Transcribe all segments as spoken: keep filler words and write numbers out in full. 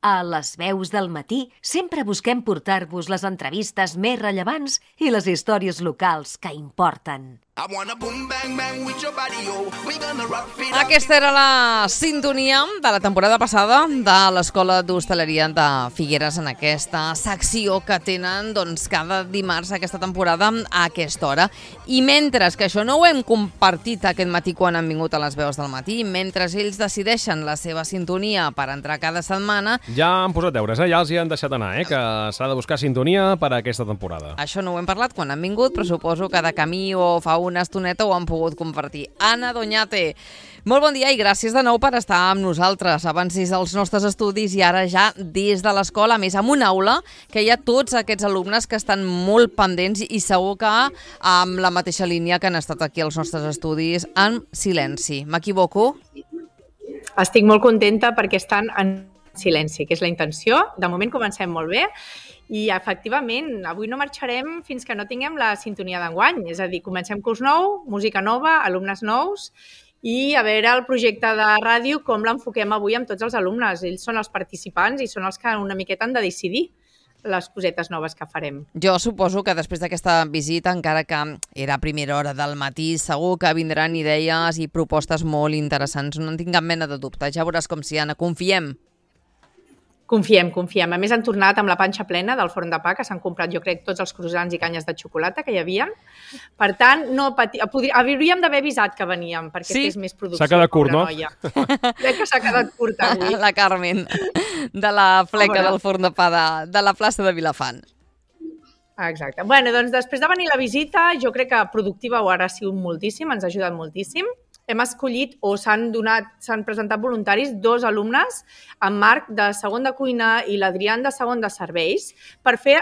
A Les Veus del Matí sempre busquem portar-vos les entrevistes més rellevants i les històries locals que importen. Aquesta era la sintonia de la temporada passada de l'Escola d'Hostaleria de Figueres en aquesta secció que tenen doncs, cada dimarts aquesta temporada a aquesta hora. I mentre que això no ho hem compartit aquest matí quan han vingut a Les Veus del Matí, mentre ells decideixen la seva sintonia per entrar cada setmana... Ja han posat deures, eh? Ja els hi han deixat anar, eh? Que s'ha de buscar sintonia per a aquesta temporada. Això no ho hem parlat quan han vingut, però suposo que de camí o fa una estoneta ho han pogut compartir. Anna Doñate, molt bon dia i gràcies de nou per estar amb nosaltres. Abans des dels nostres estudis i ara ja des de l'escola, a més amb una aula que hi ha tots aquests alumnes que estan molt pendents i segur que amb la mateixa línia que han estat aquí als nostres estudis en silenci. M'equivoco? Estic molt contenta perquè estan en silenci, que és la intenció. De moment comencem molt bé. I, efectivament, avui no marxarem fins que no tinguem la sintonia d'enguany. És a dir, comencem curs nou, música nova, alumnes nous i a veure el projecte de ràdio com l'enfoquem avui amb tots els alumnes. Ells són els participants i són els que una miqueta han de decidir les cosetes noves que farem. Jo suposo que després d'aquesta visita, encara que era a primera hora del matí, segur que vindran idees i propostes molt interessants. No en tinc cap mena de dubte. Ja veuràs com si, Anna, confiem. Confiem, confiem. A més, han tornat amb la panxa plena del forn de pa, que s'han comprat, jo crec, tots els croissants i canyes de xocolata que hi havia. Per tant, no pati... Podria... hauríem d'haver avisat que veníem, perquè sí? Fes més producció. S'ha quedat curt, no? Noia. Crec que s'ha quedat curt avui. La Carmen, de la fleca del forn de pa de, de la plaça de Vilafant. Exacte. Bueno, doncs després de venir la visita, jo crec que productiva ho ha sigut moltíssim, ens ha ajudat moltíssim. Hem escollit o s'han donat, s'han presentat voluntaris dos alumnes, en Marc de segon de cuina i l'Adrián de segon de serveis, per fer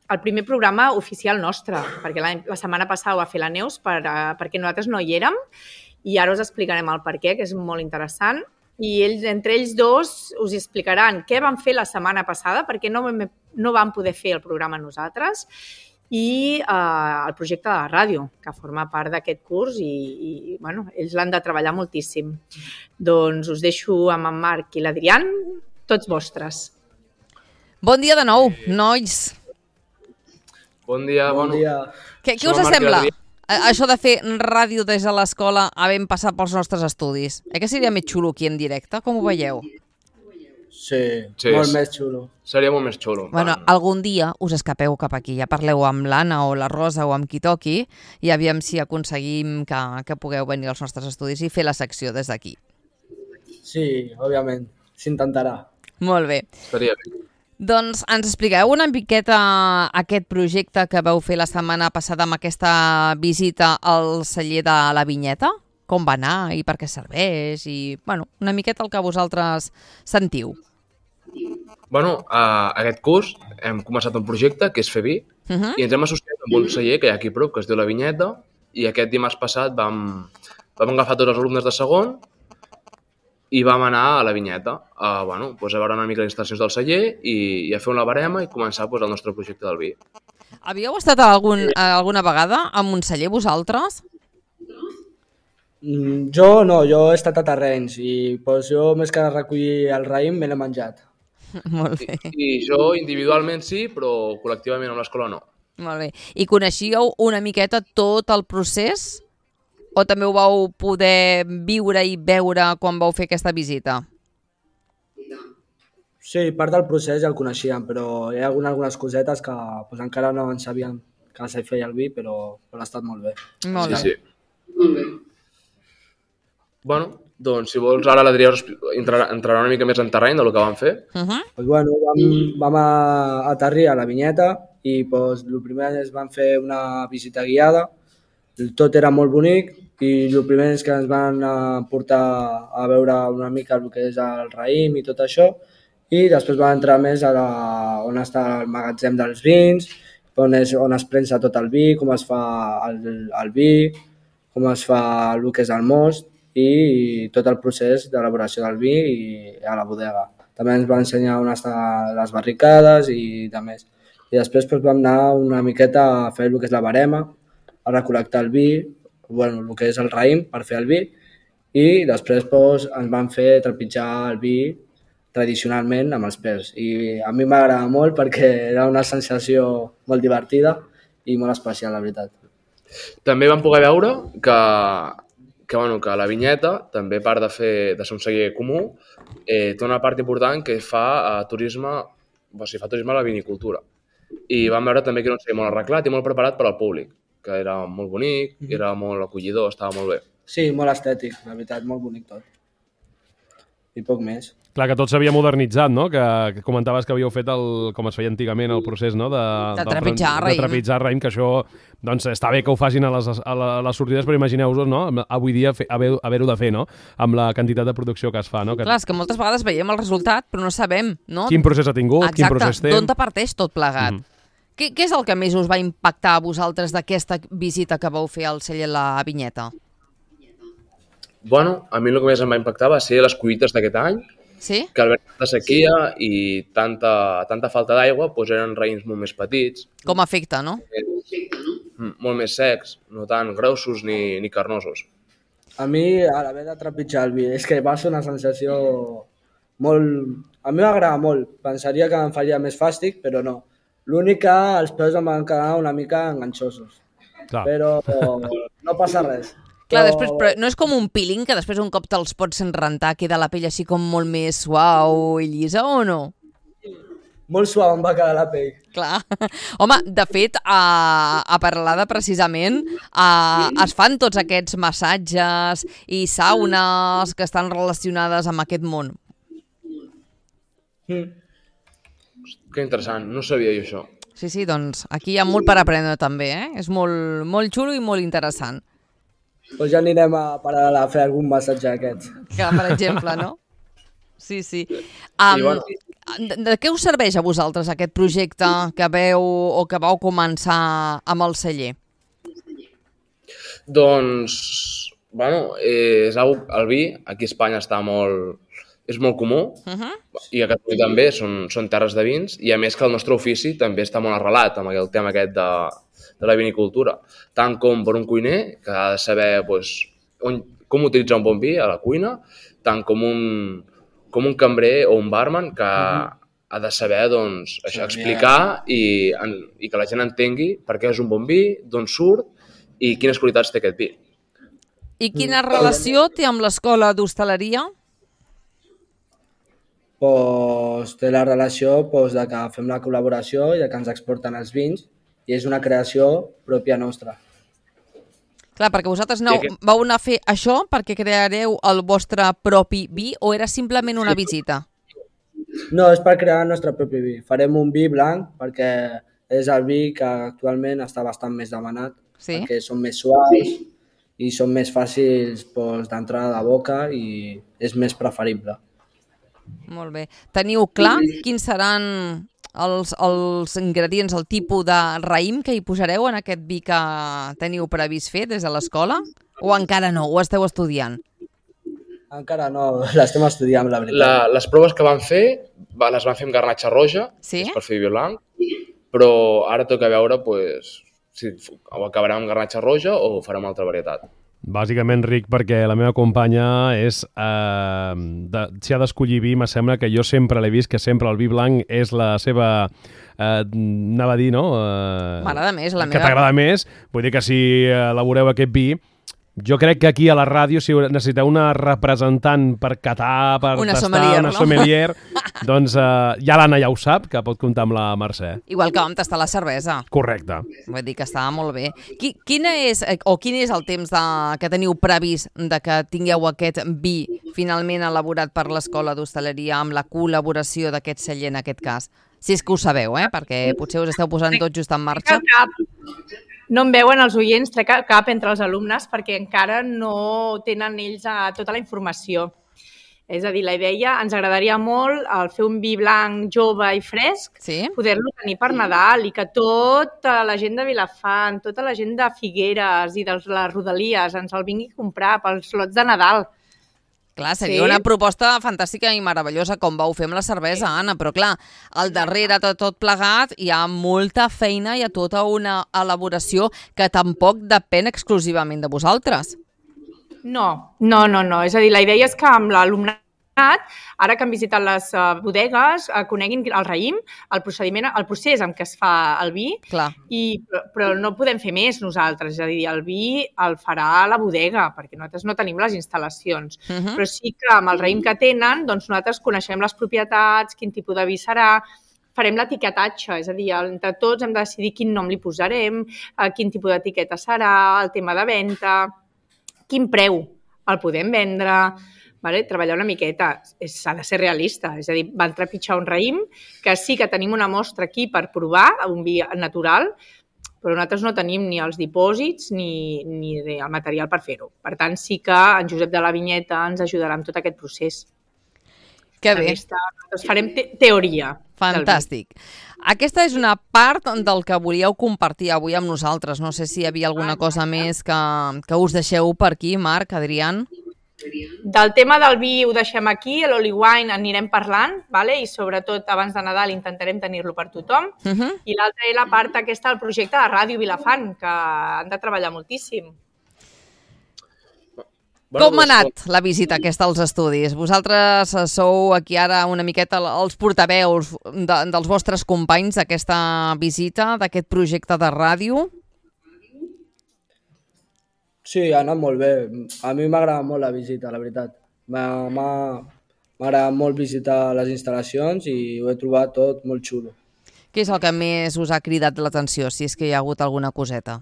el primer programa oficial nostre, perquè la, la setmana passada ho va fer la Neus per, uh, perquè nosaltres no hi érem i ara us explicarem el per què, que és molt interessant. I ells, entre ells dos us explicaran què van fer la setmana passada, perquè no, no vam poder fer el programa nosaltres, i eh, el projecte de la ràdio, que forma part d'aquest curs i, i bueno, ells l'han de treballar moltíssim. Doncs us deixo amb en Marc i l'Adrián, tots vostres. Bon dia de nou, nois. Bon dia. Bon bueno. dia. Què, què us sembla? Això de fer ràdio des de l'escola havent passat pels nostres estudis. Eh que seria més xulo aquí en directe? Com ho veieu? Sí, sí, molt més xulo. Seria molt més xulo. Bueno, tant. algun dia us escapeu cap aquí, ja parleu amb l'Anna o la Rosa o amb qui toqui i aviam si aconseguim que, que pugueu venir als nostres estudis i fer la secció des d'aquí. Sí, òbviament, s'intentarà. Molt bé. Estaria bé. Doncs ens expliqueu una miqueta aquest projecte que vau fer la setmana passada amb aquesta visita al celler de la Vinyeta? Com va anar i per què serveix i, bueno, una miqueta el que vosaltres sentiu. Bueno, uh, aquest curs hem començat un projecte que és fer vi uh -huh. i ens hem associat amb un celler que hi ha aquí a prop, que es diu La Vinyeta, i aquest dimarts passat vam, vam agafar tots els alumnes de segon i vam anar a La Vinyeta a, bueno, pues a veure una mica les instal·lacions del celler i, i a fer una barema i començar pues, el nostre projecte del vi. Havíeu estat algun, alguna vegada amb un celler vosaltres? Mm, jo no, jo he estat a terrenys i pues, jo més que recollir el raïm me l'he menjat. Molt bé. I, I jo individualment sí, però col·lectivament amb l'escola no. Molt bé. I coneixíeu una miqueta tot el procés? O també ho vau poder viure i veure quan vau fer aquesta visita? Sí, part del procés ja el coneixíem, però hi ha algunes, algunes cosetes que pues, encara no en sabíem que se feia el vi, però, però ha estat molt bé. Molt sí, bé. Sí. Molt bé. Bueno, doncs si vols ara l'Adrià entrarà, entrarà una mica més en terreny del que vam fer. Uh -huh. Pues, bueno, vam, vam a aterrir a la Vinyeta i pues, el primer és vam fer una visita guiada. Tot era molt bonic i el primer és que ens van portar a veure una mica el que és el raïm i tot això i després vam entrar més a la, on està el magatzem dels vins, on, és, on es prensa tot el vi, com es fa el, el vi, com es fa el que és el most i tot el procés d'elaboració del vi i a la bodega. També ens va ensenyar on estan les barricades i de més. I després doncs, vam anar una miqueta a fer el que és la barema, a recol·lectar el vi, bueno, el que és el raïm per fer el vi i després doncs, ens van fer trepitjar el vi tradicionalment amb els pèls. I a mi m'agrada molt perquè era una sensació molt divertida i molt especial, la veritat. També vam poder veure que, que, bueno, que la vinyeta, també a part de, fer, de ser un celler comú, eh, té una part important que fa eh, turisme, o sigui, fa turisme a la vinicultura. I vam veure també que era un celler molt arreglat i molt preparat per al públic, que era molt bonic, era molt acollidor, estava molt bé. Sí, molt estètic, la veritat, molt bonic tot. I poc més. Clar, que tot s'havia modernitzat, no? Que, que comentaves que havíeu fet, el, com es feia antigament, el procés, no? De, de trepitjar raïm. De trepitjar raïm, que això, doncs, està bé que ho facin a les, a les sortides, però imagineu-vos, no? Avui dia haver-ho haver de fer, no? Amb la quantitat de producció que es fa, no? Que... Clar, és que moltes vegades veiem el resultat, però no sabem, no? Quin procés ha tingut, Exacte. Quin procés té. D'on te parteix tot plegat. Mm. Què, què és el que més us va impactar a vosaltres d'aquesta visita que vau fer al celler La Vinyeta? Bueno, a mi el que més em va impactar va ser les collites d'aquest any, sí? Que al veure tanta sequia i tanta, tanta falta d'aigua doncs eren raïms molt més petits. Com afecta, no? Molt més secs, no tan grossos ni, ni carnosos. A mi, a l'haver de trepitjar el vi, és que va ser una sensació molt... A mi m'agrada molt. Pensaria que em faria més fàstic, però no. L'únic que els peus em van quedar una mica enganxosos. Clar. Però no passa res. Clar, després, però no és com un peeling que després un cop te'ls pots rentar queda la pell així com molt més suau i llisa, o no? Molt suau em va quedar la pell. Clar. Home, de fet, a, a Peralada, precisament, a, es fan tots aquests massatges i saunes que estan relacionades amb aquest món. Mm. Que interessant, no sabia jo això. Sí, sí, doncs aquí hi ha molt per aprendre també, eh? És molt, molt xulo i molt interessant. Doncs ja anirem a Peralada a fer algun massatge d'aquests. Que, per exemple, no? Sí, sí. Um, bueno. de, de què us serveix a vosaltres aquest projecte que veu o que vau començar amb el celler? Doncs, bueno, és el vi aquí a Espanya està molt... és molt comú, uh-huh. I a Catalunya també, són, són terres de vins, i a més que el nostre ofici també està molt arrelat amb el tema aquest de, de la vinicultura. Tant com per un cuiner, que ha de saber pues, on, com utilitzar un bon vi a la cuina, tant com un, com un cambrer o un barman que uh-huh. ha de saber doncs, això, explicar i, i que la gent entengui per què és un bon vi, d'on surt i quines qualitats té aquest vi. I quina relació té amb l'escola d'hostaleria? Pues, té la relació pues, de que fem la col·laboració i de que ens exporten els vins i és una creació pròpia nostra. Clar, perquè vosaltres no, vau anar a fer això perquè creareu el vostre propi vi o era simplement una visita? No, és per crear el nostre propi vi. Farem un vi blanc perquè és el vi que actualment està bastant més demanat, sí? Perquè són més suaus i són més fàcils pues, d'entrar de boca i és més preferible. Molt bé. Teniu clar quins seran els, els ingredients, el tipus de raïm que hi posareu en aquest vi que teniu previst fer des de l'escola? O encara no? Ho esteu estudiant? Encara no, l'estem estudiant, la veritat. La, les proves que vam fer, les vam fer amb garnatxa roja, sí? Per fer vi blanc, però ara toca veure pues, si ho acabarem amb garnatxa roja o farem una altra varietat. Bàsicament, Ric, perquè la meva companya és... Eh, de, si ha d'escollir vi, m'assembla que jo sempre l'he vist, que sempre el vi blanc és la seva... Eh, anava a dir, no? Eh, M'agrada més, la que meva... Que t'agrada més. Vull dir que si elaboreu aquest vi... Jo crec que aquí a la ràdio, si necessiteu una representant per catar, per una tastar, sommelier, una no? sommelier, doncs eh, ja l'Anna ja ho sap, que pot comptar amb la Mercè. Igual que vam tastar la cervesa. Correcte. Vull dir que estava molt bé. Qui, quina és, o quin és el temps de, que teniu previst de que tingueu aquest vi finalment elaborat per l'Escola d'Hostaleria amb la col·laboració d'aquest celler en aquest cas? Si és que ho sabeu, eh? Perquè potser us esteu posant tot just en marxa. No em veuen els oients, trec cap entre els alumnes perquè encara no tenen ells tota la informació. És a dir, la idea, ens agradaria molt el fer un vi blanc jove i fresc, sí? Poder-lo tenir per Nadal i que tota la gent de Vilafant, tota la gent de Figueres i de les Rodalies ens el vingui a comprar pels lots de Nadal. Clar, seria sí? Una proposta fantàstica i meravellosa com vau fer amb la cervesa, Anna, però clar, al darrere de tot plegat hi ha molta feina i hi ha tota una elaboració que tampoc depèn exclusivament de vosaltres. No, no, no, no. És a dir, la idea és que amb l'alumnat ara que han visitat les uh, bodegues, uh, coneguin el raïm, el procediment, el procés en què es fa el vi, Clar. I, però, però no podem fer més nosaltres, és a dir, el vi el farà la bodega, perquè nosaltres no tenim les instal·lacions, uh -huh. però sí que amb el raïm que tenen, doncs nosaltres coneixem les propietats, quin tipus de vi serà, farem l'etiquetatge, és a dir, entre tots hem de decidir quin nom li posarem, uh, quin tipus d'etiqueta serà, el tema de venda, quin preu el podem vendre, vale? Treballar una miqueta, s'ha de ser realista, és a dir, van trepitjar un raïm, que sí que tenim una mostra aquí per provar, un vi natural, però nosaltres no tenim ni els dipòsits ni, ni el material per fer-ho. Per tant, sí que en Josep de la Vinyeta ens ajudarà en tot aquest procés. Que bé. Aquesta, doncs farem te teoria. Fantàstic. Aquesta és una part del que volíeu compartir avui amb nosaltres. No sé si hi havia alguna cosa més que, que us deixeu per aquí, Marc, Adrián. Del tema del vi ho deixem aquí, l'Oli Wine anirem parlant, vale? I sobretot abans de Nadal intentarem tenir-lo per tothom. Uh -huh. I l'altra és la part aquesta del projecte de Ràdio Vilafant, que han de treballar moltíssim. Bueno, com ha anat la visita aquesta als estudis? Vosaltres sou aquí ara una miqueta els portaveus de, dels vostres companys d'aquesta visita, d'aquest projecte de ràdio? Sí, ha anat molt bé. A mi m'agrada molt la visita, la veritat. M'ha agradat molt visitar les instal·lacions i ho he trobat tot molt xulo. Què és el que més us ha cridat l'atenció, si és que hi ha hagut alguna coseta?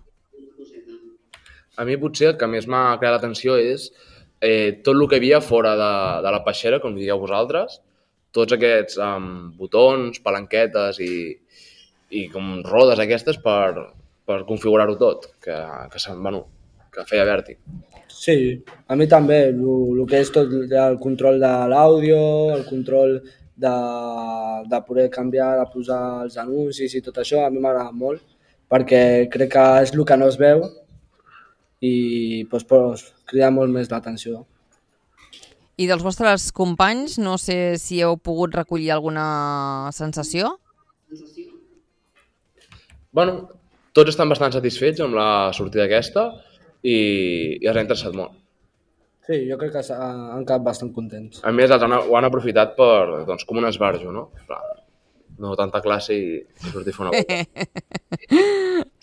A mi potser el que més m'ha cridat l'atenció és eh, tot el que hi havia fora de, de la peixera, com dieu vosaltres, tots aquests um, botons, palanquetes i, i com rodes aquestes per, per configurar-ho tot, que, que, bueno, que feia vèrtic. Sí, a mi també, el que és tot el control de l'àudio, el control de, de poder canviar, de posar els anuncis i tot això, a mi m'agrada molt, perquè crec que és el que no es veu i doncs, pues, crida molt més l'atenció. I dels vostres companys, no sé si heu pogut recollir alguna sensació? Bueno, tots estan bastant satisfets amb la sortida aquesta i, i els ha interessat molt. Sí, jo crec que han quedat bastant contents. A més, han, ho han aprofitat per, doncs, com un esbarjo, no? No tanta classe i, i sortir a fer una volta.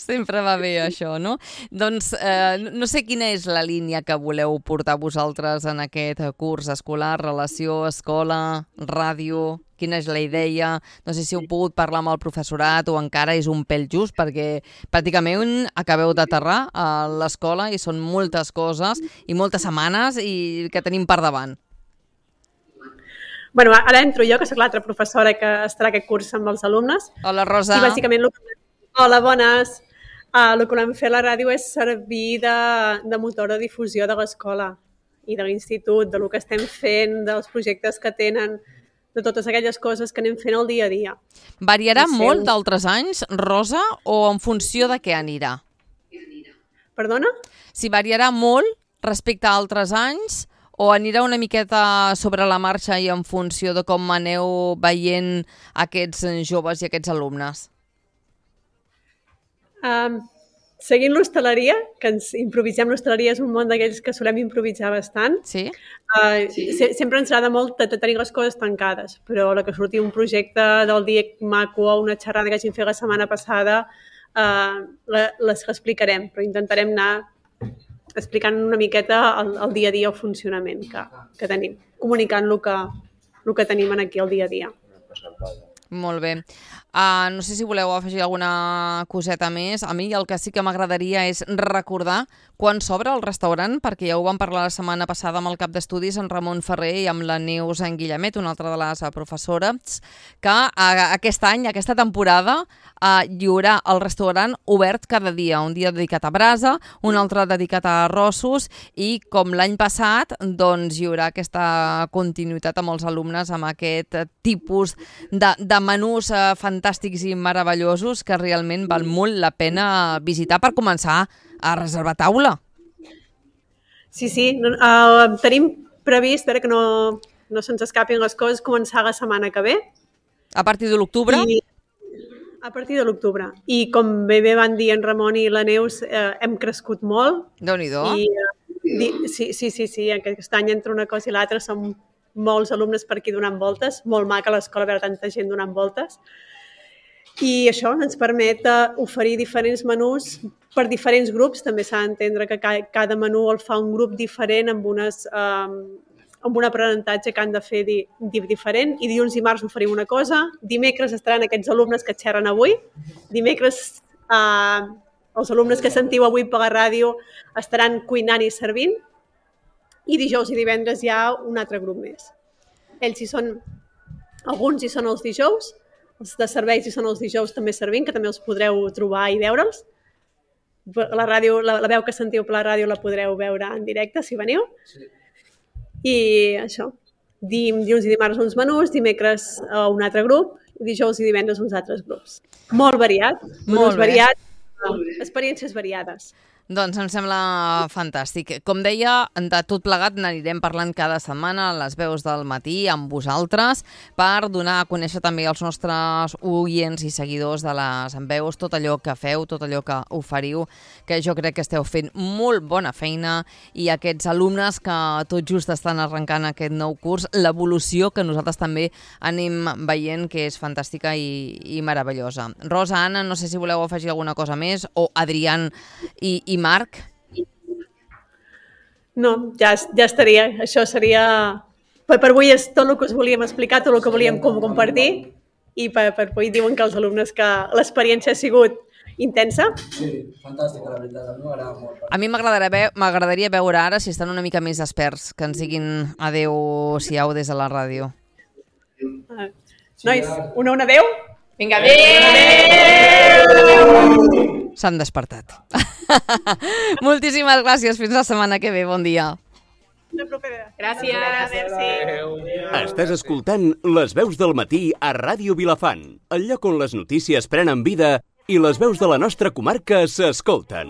Sempre va bé això, no? Doncs eh, no sé quina és la línia que voleu portar vosaltres en aquest curs escolar, relació, escola, ràdio, quina és la idea? No sé si heu pogut parlar amb el professorat o encara és un pèl just, perquè pràcticament acabeu d'aterrar a l'escola i són moltes coses i moltes setmanes i que tenim per davant. Bueno, ara entro jo, que soc l'altra professora que estarà aquest curs amb els alumnes. Hola, Rosa. I bàsicament, hola, bones. Uh, el que volem fer a la ràdio és servir de, de motor de difusió de l'escola i de l'institut, de lo que estem fent, dels projectes que tenen, de totes aquelles coses que anem fent el dia a dia. Variarà molt d'altres anys, Rosa, o en funció de què anirà? Perdona? Si variarà molt respecte a altres anys, o anirà una miqueta sobre la marxa i en funció de com aneu veient aquests joves i aquests alumnes? Um, seguint l'hostaleria, que ens improvisem, l'hostaleria és un món d'aquells que solem improvisar bastant. Sí? Uh, sí. Se, sempre ens agrada molt de tenir les coses tancades, però la que surti un projecte del dia maco o una xerrada que hagin fet la setmana passada, uh, les explicarem, però intentarem anar explicant una miqueta el, el dia a dia, el funcionament que, que tenim, comunicant el que, el que tenim aquí el dia a dia. Molt bé. Uh, no sé si voleu afegir alguna coseta més. A mi el que sí que m'agradaria és recordar quan s'obre el restaurant, perquè ja ho vam parlar la setmana passada amb el cap d'estudis, en Ramon Ferrer, i amb la Neus en Guillemet, una altra de les professores, que uh, aquest any, aquesta temporada, uh, hi haurà el restaurant obert cada dia. Un dia dedicat a brasa, un altre dedicat a arrossos, i com l'any passat, doncs hi haurà aquesta continuïtat amb els alumnes, amb aquest tipus de, de menús uh, fantàstics i meravellosos que realment val molt la pena visitar per començar a reservar taula. Sí, sí. Uh, tenim previst, espera que no, no se'ns escapin les coses, començar la setmana que ve. A partir de l'octubre? A partir de l'octubre. I com bé bé van dir en Ramon i la Neus, eh, hem crescut molt. Déu-n'hi-do. I, uh, di, sí, sí, sí, sí, aquest any entre una cosa i l'altra som molts alumnes per aquí donant voltes, molt maca a l'escola veure tanta gent donant voltes. I això ens permet oferir diferents menús per diferents grups. També s'ha d'entendre que cada menú el fa un grup diferent amb, unes, um, amb un aprenentatge que han de fer di, di, diferent. I dilluns i dimarts oferim una cosa. Dimecres estaran aquests alumnes que xerren avui. Dimecres uh, els alumnes que sentiu avui per la ràdio estaran cuinant i servint. I dijous i divendres hi ha un altre grup més. Ells hi són, alguns hi són els dijous, els de serveis hi són els dijous també servint, que també els podreu trobar i veure'ls. La, ràdio, la, la veu que sentiu per la ràdio la podreu veure en directe, si veniu. Sí. I això, dilluns i dimarts uns menús, dimecres un altre grup, dijous i divendres uns altres grups. Molt variat, menús variats, experiències variades. Doncs em sembla fantàstic. Com deia, de tot plegat n'anirem parlant cada setmana a les veus del matí amb vosaltres per donar a conèixer també als nostres oients i seguidors de les veus tot allò que feu, tot allò que oferiu, que jo crec que esteu fent molt bona feina, i aquests alumnes que tot just estan arrencant aquest nou curs, l'evolució que nosaltres també anem veient, que és fantàstica i, i meravellosa. Rosa, Anna, no sé si voleu afegir alguna cosa més, o Adrián i, i Marc? No, ja, ja estaria. Això seria... Per, per avui és tot el que us volíem explicar, tot el que volíem com compartir, i per, per avui diuen que els alumnes que l'experiència ha sigut intensa. Sí, fantàstica, la veritat. A mi m'agrada molt. A mi m'agradaria veure ara si estan una mica més experts, que ens diguin adeu-siau des de la ràdio. Uh, nois, una una adeu? Vinga, adeu! S'han despertat. Moltíssimes gràcies. Fins la setmana que ve. Bon dia. Gràcies. Gràcies. Estàs escoltant Les veus del matí a Ràdio Vilafant, el lloc on les notícies prenen vida i les veus de la nostra comarca s'escolten.